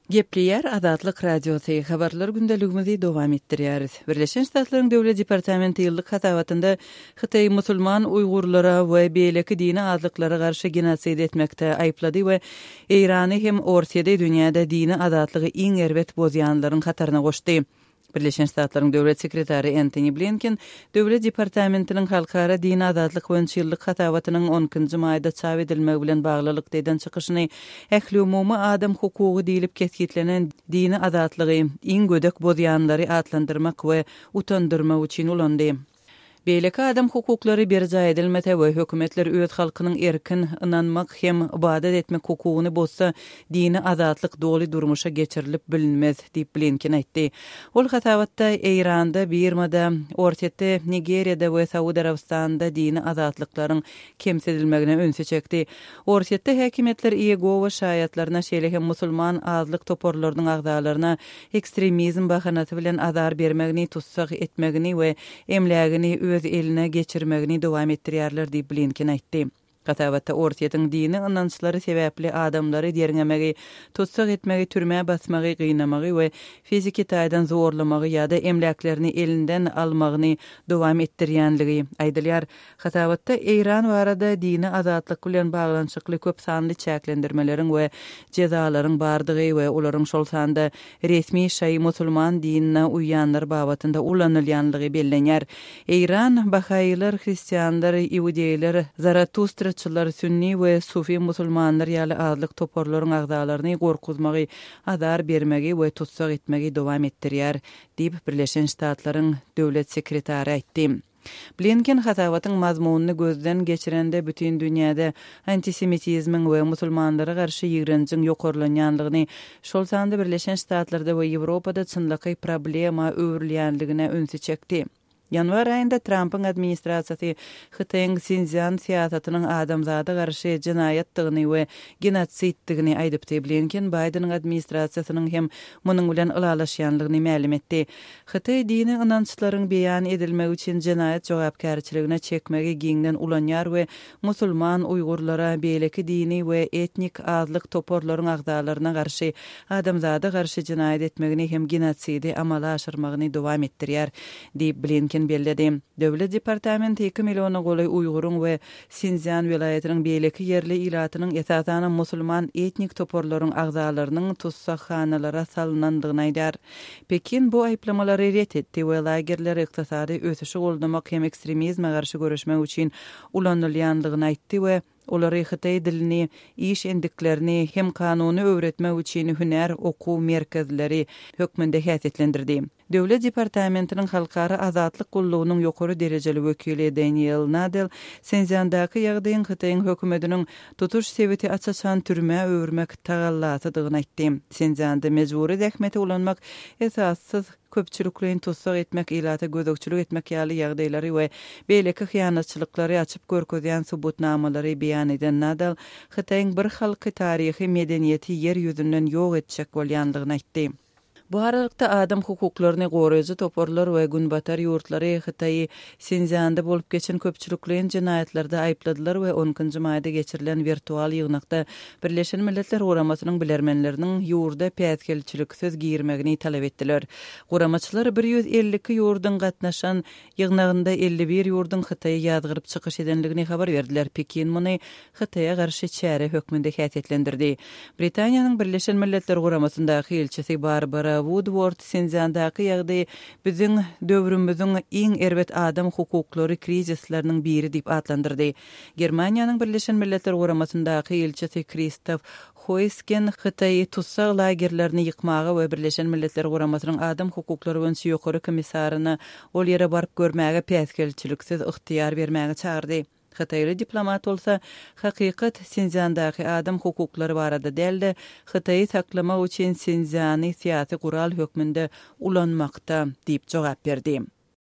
Gepleýär Azatlyk Radiosy, Habarlar gündeligimizi dowam etdirýäris. Birleşen Ştatlaryň Döwlet departamenti ýyllyk hasabatynda Hytaýy musulman uýgurlara we beýleki dini azlyklara garşy genosid etmekde aýyplady we Eýrany hem Orsýedi dünýäde dini azatlygy iň erbet bozýanlaryň hataryna goşdy. Birleşen Ştatlaryň Döwlet sekretary Entoni Blinken Döwlet departamentiniň Halkara dini azatlyk boýunça ýyllyk hasabatynyň on ikinji maýda çap edilmegi bilen baglylykda eden çykyşyny ähliumumy adam hukugy diýlip kesgitlenen dini azatlygy iň gödek bozýanlary atlandyrmak we utandyrmak üçin ulandy. Beýleki adam hukuklary berjaý edilmese we hökümetler öz halkynyň erkin ynanmak hem ybadat etmek hukugyny bozsa, dini azatlyk doly durmuşa geçirilip bilinmez, diýip Blinken aýtdy. Ol hasabatda Eýranda, Birmada, Orsýetde, Nigeriýada we Saud Arabystanynda dini azatlyklaryň kemsidilmegine ünsi çekdi. Orsýetde häkimiýetler Iýegowa şaýatlaryna, şeýle hem musulman azlyk toparlarynyň agzalaryna ekstremizm bahanasy bilen azar bermegini, tussag etmegini we emlägini öz eline geçirmegini dowam etdirýärler diýip, Blinken aýtdy. Hasabatda Orsýetiň dini ynançlary sebäpli adamlary derňemegi, tussag etmegi, türmä basmagy, gynamagy we fiziki taýdan zorlamagy ýa-da emläklerini elinden almagyny dowam etdirýänligi aýdylýar. Hasabatda Eýran barada dini azatlyk bilen baglanyşykly köp sanly çäklendirmeleriň we jezalaryň bardygy we olaryň şol sanda resmi şaýy musulman dinine uýýanlar babatynda ulanylýanlygy bellenýär. Eýran, bahaýylar, hristianlar, iudeýler, zaratustraçylar, sünni we sufi musulmanlar ýaly azlyk toparlaryň agzalaryny gorkuzmagy, azar bermegi we tussag etmegi dowam etdirýär, diýip, Birleşen Ştatlaryň döwlet sekretary aýtdy. Blinken hasabatyň mazmunyny gözden geçirende bütin dünýäde antisemitizmiň we musulmanlara garşy ýigrenjiň ýokarlanýanlygyny, şol sanda Birleşen Ştatlarda we Ýewropada çynlakaý problema öwrülýänligine ünsi çekdi. Ýanwar aýynda Trampyň administrasiýasy Hytaýyň Sinszýan syýasatynyň adamzada garşy jenaýatdygyny we genosiddigini aýdypdy. Blinken Baýdeniň administrasiýasynyň hem munuň bilen ylalaşýanlygyny mälim etdi. Hytaý dini ynançlaryň beýan edilmegi üçin jenaýat jogapkärçiligine çekmegi giňden ulanýar we musulman uýgurlara, beýleki dini we etnik azlyk toparlaryň agzalaryna garşy adamzada garşy jenaýat etmegini hem genotsidi amala aşyrmagyny dowam etdirýär, diýip, Blinken belledi. Döwlet departamenti iki milliona golaý uýguryň we Sinszýan welaýatynyň beýleki ýerli ilatynyň, esasanam musulman etnik toparlaryň agzalarynyň tussaghanalara salynandygyny aýdýar. Pekin bu aýyplamalary ret etdi we lagerleri ykdysady ösüşi goldamak hem ekstremizme garşy göreşmek üçin ulanylýandygyny aýtdy we olary hytaý dilini, iş endiklerini hem kanuny öwretmek üçin hünär okuw merkezleri hökmünde häsiýetlendirdi. Döwlet departamentiniň Halkara azatlyk gullugynyň ýokary derejeli wekili Deniel Nadel Sinszýandaky ýagdaýyň Hytaýyň hökümetiniň tutuş sebiti aç-açan türmä öwürmek tagallasydygyny aýtdy. Sinszýanda mejbury zähmeti ulanmak, esassyz köpçülikleýin tussag etmek, ilata gözegçilik etmek ýaly ýagdaýlary we beýleki hyýanatçylyklary açyp görkezýän subutnamalary beýan eden Nadal Hytaýyň bir halky, taryhy, medeniýeti ýer ýüzünden ýok etjek bolýandygyny aýtdy. Bu aralykda, adam hukuklaryny goraýjy toparlar we Günbatar ýurtlary Hytaýy Sinszýanda bolup geçen köpçülikleýin jenaýatlarda aýypladylar we on ikinji maýda geçirilen wirtual ýygnakda Birleşen Milletler Guramasynyň bilermenleriniň ýurda päsgelçiliksiz girmegini talap etdiler. Guramaçylar 152 ýurduň gatnaşan Ýygnagynda 51 ýurduň Hytaýy ýazgaryp çykyş edendigini habar berdiler. Pekin muny Hytaýa garşy çäre hökmünde häsiýetlendirdi. Britaniýanyň Birleşen Milletler Guramasyndaky ilçisi Barbara Wudword Sinszýandaky ýagdaýy biziň döwrümiziň iň erbet adam hukuklary krizisleriniň biri diýip atlandyrdy. Germaniýanyň Birleşen Milletler Guramasyndaky ilçisi Kristof Hoýsgen Hytaýy tussag lagerlerini ýykmaga we Birleşen Milletler Guramasynyň Adam hukuklary boýunça ýokary komissaryna ol ýere baryp görmäge päsgelçiliksiz ygtyýar bermäge çagyrdy. Hytaýly diplomat bolsa, hakykat Sinszýandaky adam hukuklary barada däl-de, Hytaýy saklamak üçin Sinszýany syýasy gural hökmünde ulanmakda diýip jogap berdi.